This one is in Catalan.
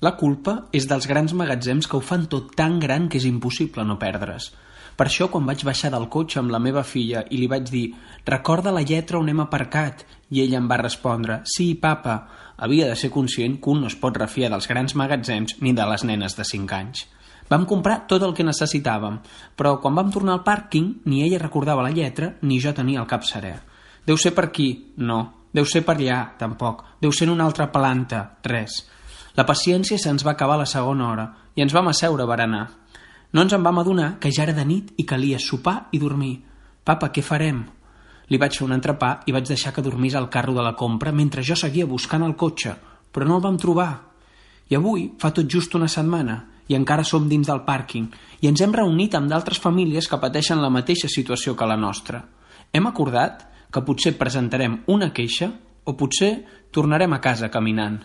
La culpa és dels grans magatzems que ho fan tot tan gran que és impossible no perdre's. Per això, quan vaig baixar del cotxe amb la meva filla i li vaig dir «Recorda la lletra on hem aparcat?» i ella em va respondre «Sí, papa», havia de ser conscient que un no es pot refiar dels grans magatzems ni de les nenes de 5 anys. Vam comprar tot el que necessitàvem, però quan vam tornar al pàrquing ni ella recordava la lletra ni jo tenia el cap serè. Deu ser per aquí? No. Deu ser per allà? Tampoc. Deu ser en una altra planta? Res. La paciència se'ns va acabar a la segona hora i ens vam asseure a berenar. No ens en vam adonar que ja era de nit i calia sopar i dormir. «Papa, què farem?» Li vaig fer un entrepà i vaig deixar que dormís al carro de la compra mentre jo seguia buscant el cotxe, però no el vam trobar. I avui fa tot just una setmana i encara som dins del pàrquing i ens hem reunit amb d'altres famílies que pateixen la mateixa situació que la nostra. Hem acordat que potser presentarem una queixa o potser tornarem a casa caminant.